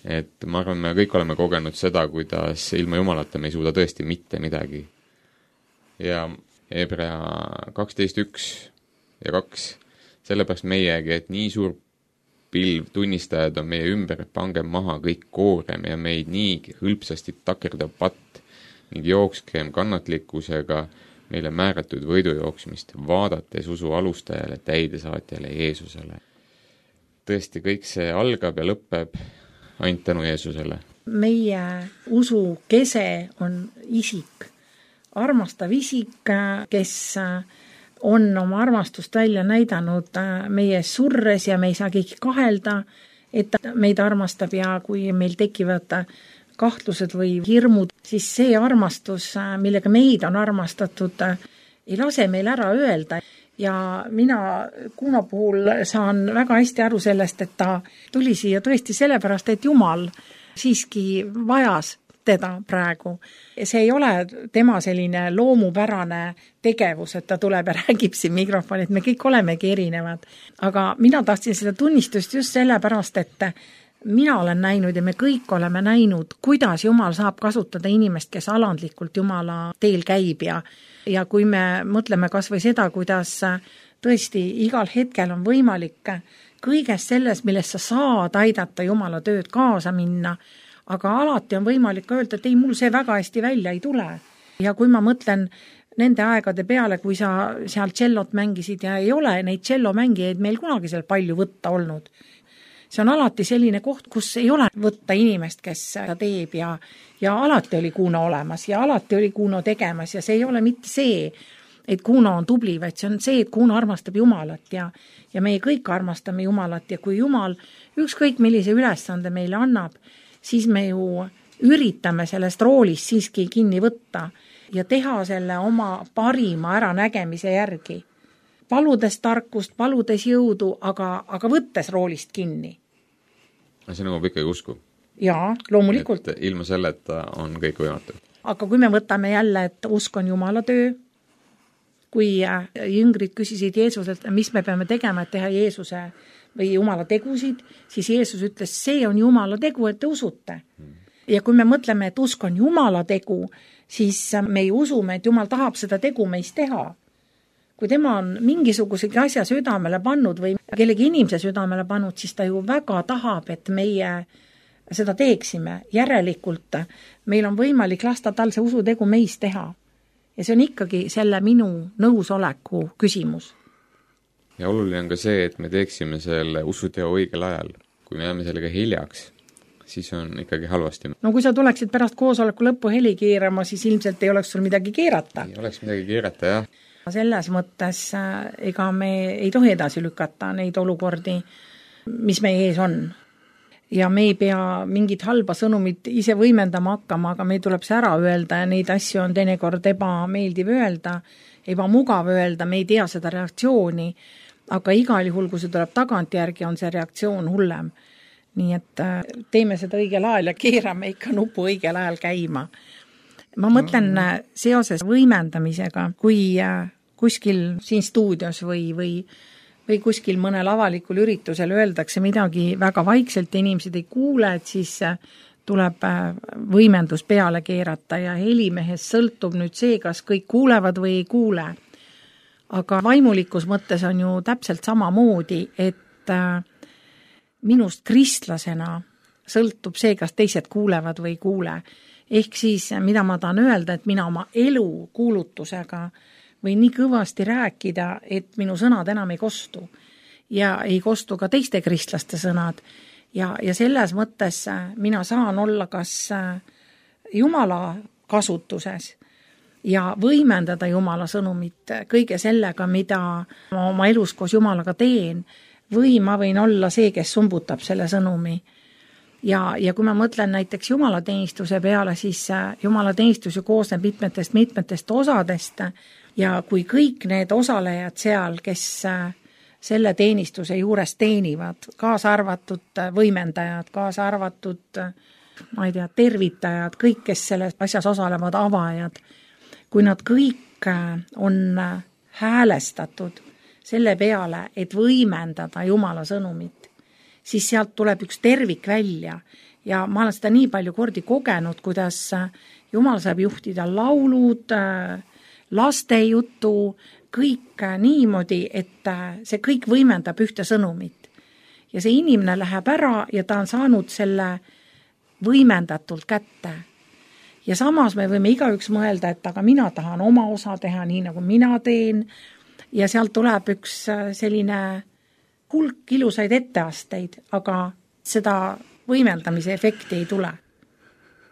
Et ma arvan, me kõik oleme kogenud seda, kuidas ilma Jumalata me ei suuda tõesti mitte midagi. Ja Hebrea 12:1 ja 2, sellepärast meiegi, et nii suur pilv tunnistajad on meie ümber, et pangem maha kõik koorem ja meid nii hõlpsasti takerdav patt ning jookskem kannatlikkusega meile määratud võidujooksmist, vaadates usu alustajale, täidesaatjale Jeesusele. Tõesti, kõik see algab ja lõpeb ainult tänu Jeesusele. Meie usu kese on isik, armastav isik, kes on oma armastust välja näidanud meie surres ja me ei saa keegi kahelda, et meid armastab ja kui meil tekivad kahtlused või hirmud, siis see armastus, millega meid on armastatud, ei lase meil ära öelda. Ja mina Kuno puhul saan väga hästi aru sellest, et ta tuli siia tõesti sellepärast, et Jumal siiski vajas teda praegu. See ei ole tema selline loomupärane tegevus, et ta tuleb ja räägib siin mikrofoni, et me kõik olemegi erinevad. Aga mina tahtsin seda tunnistust just sellepärast, et mina olen näinud ja me kõik oleme näinud, kuidas Jumal saab kasutada inimest, kes alandlikult Jumala teel käib ja kui me mõtleme kas või seda, kuidas tõesti igal hetkel on võimalik kõigest selles, millest sa saad aidata Jumala tööd kaasa minna, aga alati on võimalik öelda, et ei, mul see väga hästi välja ei tule. Ja kui ma mõtlen nende aegade peale, kui sa seal tšellot mängisid ja ei ole neid tšellomängijaid meil kunagi seal palju võtta olnud. See on alati selline koht, kus ei ole võtta inimest, kes seda teeb ja alati oli Kuno olemas ja alati oli Kuno tegemas ja see ei ole mitte see, et Kuno on tubli, vaid see on see, et Kuno armastab Jumalat ja meie kõik armastame Jumalat ja kui Jumal ükskõik millise ülesande meile annab, siis me ju üritame sellest roolist siiski kinni võtta ja teha selle oma parima äranägemise järgi. Paludes tarkust, paludes jõudu, aga võttes roolist kinni. See nõuab ikkagi usku. Jaa, loomulikult. Et ilma selleta on kõik võimatu. Aga kui me võtame jälle, et usk on Jumala töö, kui jüngrid küsisid Jeesuselt, mis me peame tegema, et teha Jeesuse või Jumala tegusid, siis Jeesus ütles, see on Jumala tegu, et te usute. Ja kui me mõtleme, et usk on Jumala tegu, siis me ei usume, et Jumal tahab seda tegu meist teha. Kui tema on mingisugusegi asja südamele pannud või kellegi inimese südamele pannud, siis ta ju väga tahab, et meie seda teeksime. Järelikult meil on võimalik lasta tal see usutegu meis teha. Ja see on ikkagi selle minu nõusoleku küsimus. Ja oluline on ka see, et me teeksime selle usuteo õigel ajal. Kui me jääme sellega hiljaks, siis on ikkagi halvasti. No kui sa tuleksid pärast koosoleku lõppu heli keerama, siis ilmselt ei oleks sul midagi keerata. Ei oleks midagi keerata, jah. Selles mõttes ega me ei tohi edasi lükata neid olukordi, mis meie ees on. Ja me ei pea mingit halba sõnumit ise võimendama hakkama, aga meil tuleb see ära öelda ja neid asju on teinekord ebameeldiv öelda, ebamugav öelda, me ei tea seda reaktsiooni, aga igal juhul, kui see tuleb tagantjärgi, on see reaktsioon hullem. Nii et teeme seda õigel ajal ja keerame ikka nupu õigel ajal käima. Ma mõtlen seoses võimendamisega, kui kuskil siin stuudios või kuskil mõnel avalikul üritusel öeldakse midagi väga vaikselt ja inimesed ei kuule, et siis tuleb võimendus peale keerata ja helimehes sõltub nüüd see, kas kõik kuulevad või ei kuule. Aga vaimulikus mõttes on ju täpselt samamoodi, et minust kristlasena sõltub see, kas teised kuulevad või ei kuule. Ehk siis, mida ma tahan öelda, et mina oma elu kuulutusega võin nii kõvasti rääkida, et minu sõnad enam ei kostu. Ja ei kostu ka teiste kristlaste sõnad. Ja selles mõttes mina saan olla kas Jumala kasutuses ja võimendada Jumala sõnumit kõige sellega, mida ma oma elus koos Jumalaga teen, või ma võin olla see, kes sumbutab selle sõnumi. Ja kui ma mõtlen näiteks jumalateenistuse peale, siis jumalateenistus ju koosneb mitmetest osadest ja kui kõik need osalejad seal, kes selle teenistuse juures teenivad, kaasa arvatud võimendajad, kaasa arvatud, ma ei tea, tervitajad, kõik, kes selles asjas osalevad, avajad, kui nad kõik on häälestatud selle peale, et võimendada Jumala sõnumit, siis sealt tuleb üks tervik välja ja ma olen seda nii palju kordi kogenud, kuidas Jumal saab juhtida laulud, lastejutu, kõik niimoodi, et see kõik võimendab ühte sõnumit. Ja see inimene läheb ära ja ta on saanud selle võimendatult kätte. Ja samas me võime igaüks mõelda, et aga mina tahan oma osa teha nii, nagu mina teen, ja sealt tuleb üks selline hulk ilusaid etteasteid, aga seda võimendamise efekti ei tule.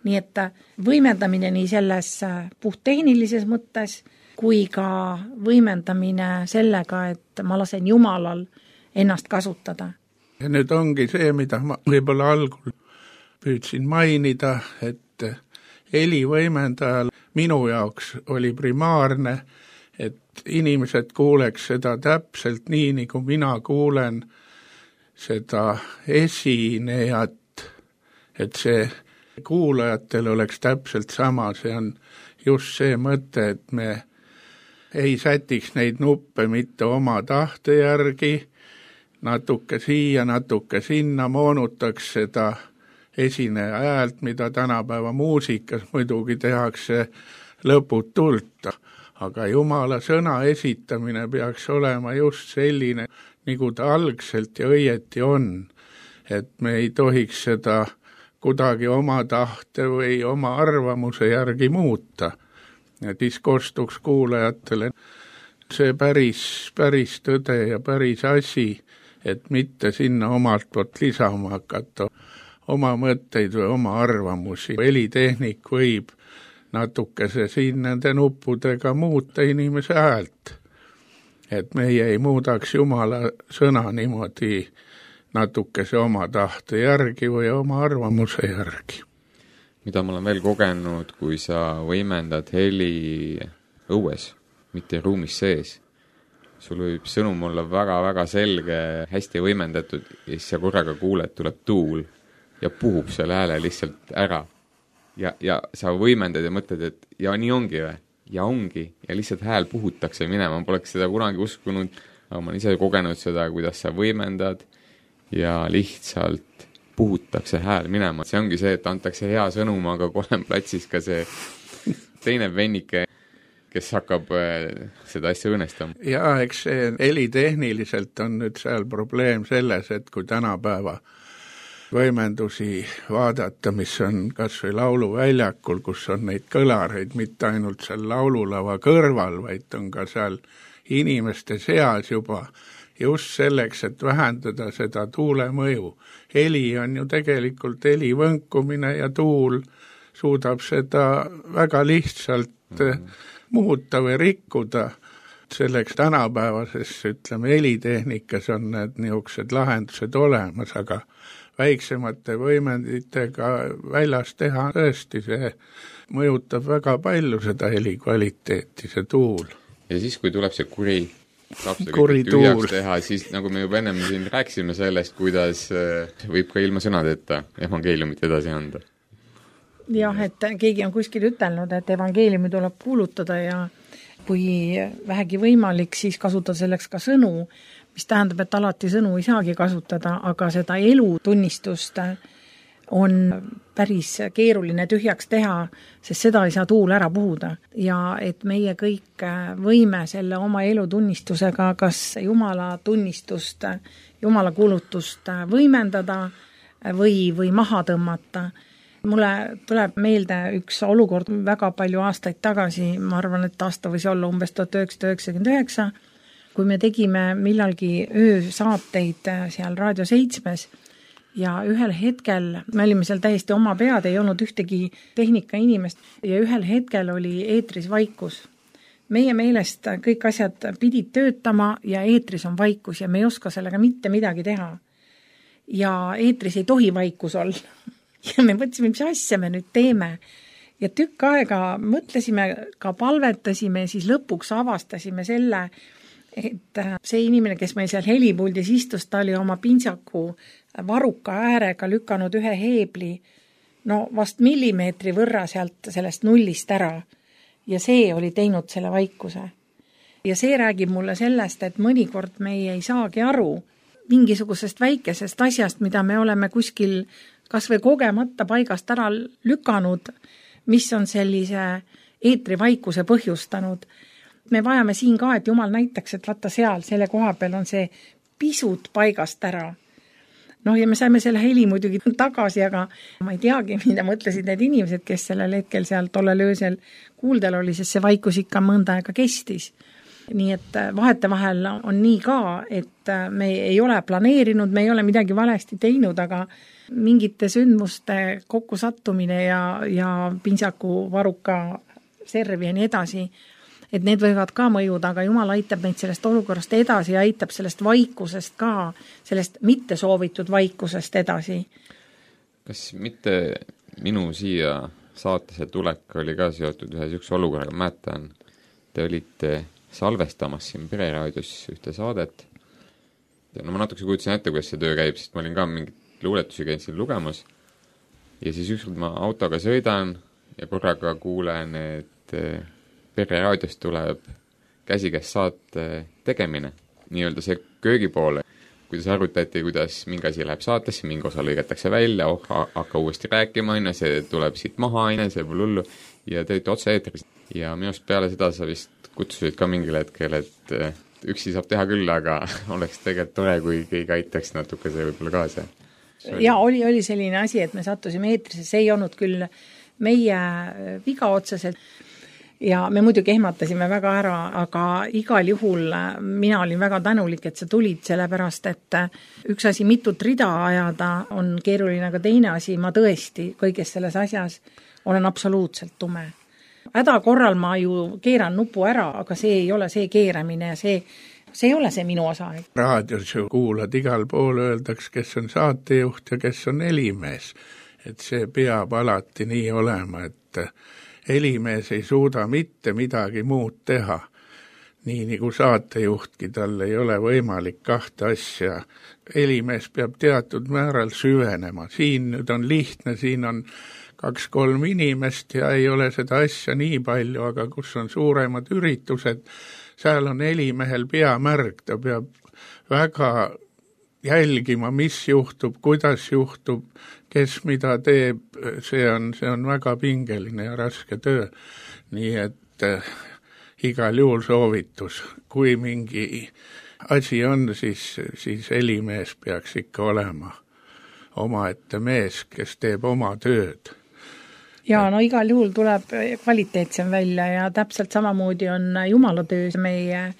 Nii et võimendamine nii selles puhttehnilises mõttes, kui ka võimendamine sellega, et ma lasen Jumalal ennast kasutada. Ja nüüd ongi see, mida ma võib-olla algul püüdsin mainida, et helivõimendajal minu jaoks oli primaarne, et inimesed kuuleks seda täpselt nii, nagu mina kuulen seda esinejat, et see kuulajatel oleks täpselt sama, see on just see mõte, et me ei sätiks neid nuppe mitte oma tahte järgi, natuke siia, natuke sinna, moonutaks seda esineja häält, mida tänapäeva muusikas muidugi tehakse lõputult, aga Jumala sõna esitamine peaks olema just selline, nagu ta algselt ja õieti on, et me ei tohiks seda kuidagi oma tahte või oma arvamuse järgi muuta. Ja siis kostuks kuulajatele see päris tõde ja päris asi, et mitte sinna omalt poolt lisama hakata oma mõtteid või oma arvamusi. Helitehnik võib natukese siin nende nuppudega muuta inimese häält, et meie ei muudaks Jumala sõna niimoodi natukese oma tahte järgi või oma arvamuse järgi. Mida ma olen veel kogenud, kui sa võimendad heli õues, mitte ruumis sees. Sul võib sõnum olla väga-väga selge, hästi võimendatud ja siis sa korraga kuuled, tuleb tuul ja puhub selle hääle lihtsalt ära. Ja sa võimendad ja mõtled, et ja nii ongi või? Ja ongi. Ja lihtsalt hääl puhutakse minema. Ma poleks seda kunagi uskunud, aga ma olen ise kogenud seda, kuidas sa võimendad ja lihtsalt puhutakse hääl minema. See ongi see, et antakse hea sõnum, aga kolem platsis ka see teine vennike, kes hakkab seda asja õõnestama. Ja eks see helitehniliselt on nüüd seal probleem selles, et kui tänapäeva võimendusi vaadata, mis on kas või lauluväljakul, kus on neid kõlareid mitte ainult seal laululava kõrval, vaid on ka seal inimeste seas juba just selleks, et vähendada seda tuule mõju. Heli on ju tegelikult heli võnkumine ja tuul suudab seda väga lihtsalt muuta või rikkuda. Selleks tänapäevases, ütleme, helitehnikas on need niisugused lahendused olemas, aga väiksemate võimenditega väljas teha tõesti, see mõjutab väga palju seda heli kvaliteeti, see tuul. Ja siis, kui tuleb see kuri tühjaks teha, siis nagu me juba ennem siin rääkisime sellest, kuidas võib ka ilma sõnadeta evangeeliumit edasi anda. Jah, et keegi on kuskil ütelnud, et evangeeliumi tuleb kuulutada ja kui vähegi võimalik, siis kasutada selleks ka sõnu, mis tähendab, et alati sõnu ei saagi kasutada, aga seda elutunnistust on päris keeruline tühjaks teha, sest seda ei saa tuul ära puhuda. Ja et meie kõik võime selle oma elutunnistusega kas Jumala tunnistust, Jumala kuulutust võimendada või maha tõmmata, Mulle tuleb meelde üks olukord väga palju aastaid tagasi, ma arvan, et aasta võis olla umbes 1999, kui me tegime millalgi öösaateid seal Raadio 7 ja ühel hetkel, me olime seal täiesti oma pead, ei olnud ühtegi tehnika inimest ja ühel hetkel oli eetris vaikus. Meie meelest kõik asjad pidid töötama ja eetris on vaikus ja me ei oska sellega mitte midagi teha. Ja eetris ei tohi vaikus olla. Ja me mõtlesime, mis asja me nüüd teeme. Ja tükk aega mõtlesime, ka palvetasime, siis lõpuks avastasime selle, et see inimene, kes meil seal helipuldis istus, ta oli oma pintsaku varuka äärega lükanud ühe heebli, no vast millimeetri võrra sealt sellest nullist ära. Ja see oli teinud selle vaikuse. Ja see räägib mulle sellest, et mõnikord me ei saagi aru mingisugusest väikesest asjast, mida me oleme kuskil kas või kogemata paigast ära lükanud, mis on sellise eetrivaikuse põhjustanud. Me vajame siin ka, et Jumal näitaks, et vaata seal, selle koha peal on see pisut paigast ära. Noh, ja me saime selle heli muidugi tagasi, aga ma ei teagi, mida mõtlesid need inimesed, kes sellel hetkel seal tollel öösel kuuldel oli, sest see vaikus ikka mõnda aega kestis. Nii et vahetevahel on nii ka, et me ei ole planeerinud, me ei ole midagi valesti teinud, aga mingite sündmuste kokkusattumine ja pintsaku varuka serv ja nii edasi, et need võivad ka mõjuda, aga Jumal aitab meid sellest olukorrast edasi ja aitab sellest vaikusest ka, sellest mitte soovitud vaikusest edasi. Kas mitte minu siia saatesse tulek oli ka seotud ühe üks olukorraga, mäletan, te olite salvestamas siin Pereraadios ühte saadet. No ma natuke kujutasin ette, kuidas see töö käib, sest ma olin ka mingit luuletusi käinud siin lugemas ja siis ükskord ma autoga sõidan ja korraga kuulen, et Pereraadios tuleb käsikäes saate tegemine, nii-öelda see köögipoole, kuidas arutati, kuidas mingi asi läheb saatesse, mingi osa lõigatakse välja, hakka uuesti rääkima, see tuleb siit maha, see pole hullu ja te olite otse eetris. Ja minust peale seda sa vist kutsusid ka mingil hetkel, et üksi saab teha küll, aga oleks tegelikult tore, kui keegi aitaks natuke see võib-olla kaasa. Ja oli selline asi, et me sattusime eetrisse, see ei olnud küll meie viga otseselt ja me muidugi ehmatasime väga ära, aga igal juhul mina olin väga tänulik, et sa tulid, sellepärast, et üks asi mitut rida ajada on keeruline, aga teine asi, ma tõesti kõiges selles asjas olen absoluutselt tume. Häda korral ma ju keeran nupu ära, aga see ei ole see keeramine ja see ei ole see minu osa. Raadios ju kuulad igal pool, öeldaks, kes on saatejuht ja kes on helimees. Et see peab alati nii olema, et helimees ei suuda mitte midagi muud teha. Nii nagu saatejuhtki, tal ei ole võimalik kahte asja. Helimees peab teatud määral süvenema. Siin nüüd on lihtne, siin on 2-3 inimest ja ei ole seda asja nii palju, aga kus on suuremad üritused, seal on helimehel peamärg, ta peab väga jälgima, mis juhtub, kuidas juhtub, kes mida teeb, see on väga pingeline ja raske töö. Nii et igal juhul soovitus, kui mingi asi on, siis helimees peaks ikka olema omaette mees, kes teeb oma tööd. Ja no igal juhul tuleb kvaliteetsem välja ja täpselt samamoodi on Jumala töös. Meie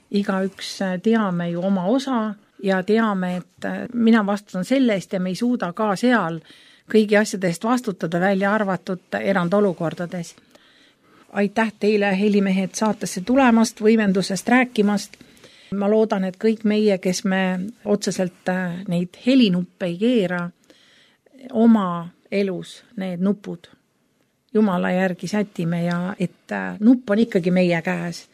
igaüks teame ju oma osa ja teame, et mina vastutan selle eest ja me ei suuda ka seal kõigi asjade eest vastutada, välja arvatud erandolukordades. Aitäh teile, helimehed, saatesse tulemast, võimendusest rääkimast. Ma loodan, et kõik meie, kes me otseselt neid helinuppe ei keera, oma elus need nupud Jumala järgi sätime ja et nupp on ikkagi meie käes.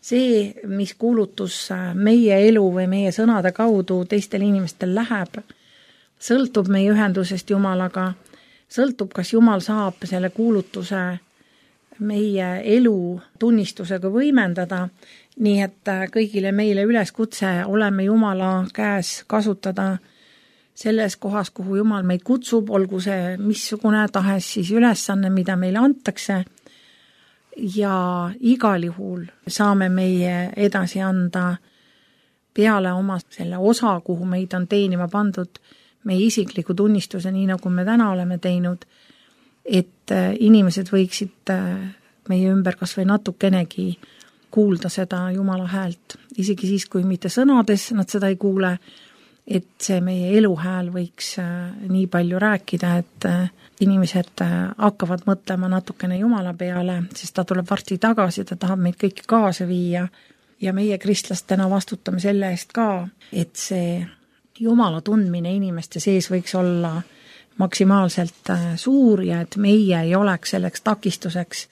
See, mis kuulutus meie elu või meie sõnade kaudu teistel inimestel läheb, sõltub meie ühendusest Jumalaga, sõltub, kas Jumal saab selle kuulutuse meie elu tunnistusega võimendada, nii et kõigile meile üleskutse oleme Jumala käes kasutada selles kohas, kuhu Jumal meid kutsub, olgu see missugune tahes siis ülesanne, mida meile antakse ja igal juhul saame meie edasi anda peale oma selle osa, kuhu meid on teenima pandud meie isikliku tunnistuse, nii nagu me täna oleme teinud, et inimesed võiksid meie ümber kas või natukenegi kuulda seda Jumala häält, isegi siis, kui mitte sõnades nad seda ei kuule, et see meie eluhääl võiks nii palju rääkida, et inimesed hakkavad mõtlema natukene Jumala peale, sest ta tuleb varsti tagasi, ta tahab meid kõiki kaasa viia ja meie kristlastena vastutame selle eest ka, et see Jumala tundmine inimeste sees võiks olla maksimaalselt suur ja et meie ei oleks selleks takistuseks.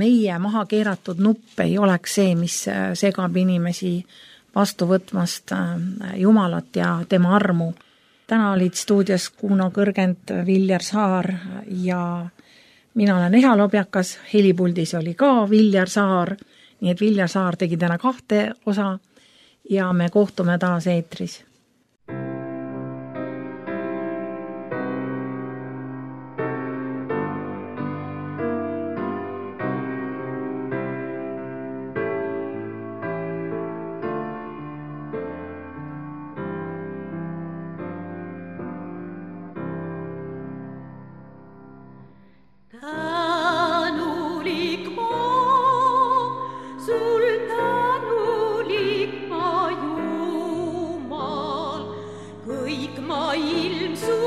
Meie maha keeratud nupp ei oleks see, mis segab inimesi vastu võtmast Jumalat ja tema armu. Täna olid stuudios Kuno Kõrgend, Viljar Saar ja mina olen Eha Lobjakas, helipuldis oli ka Viljar Saar, nii et Viljar Saar tegi täna 2 osa ja me kohtume taas eetris. Tänulik maa, sul tänulik maa Jumal, kõik maailm su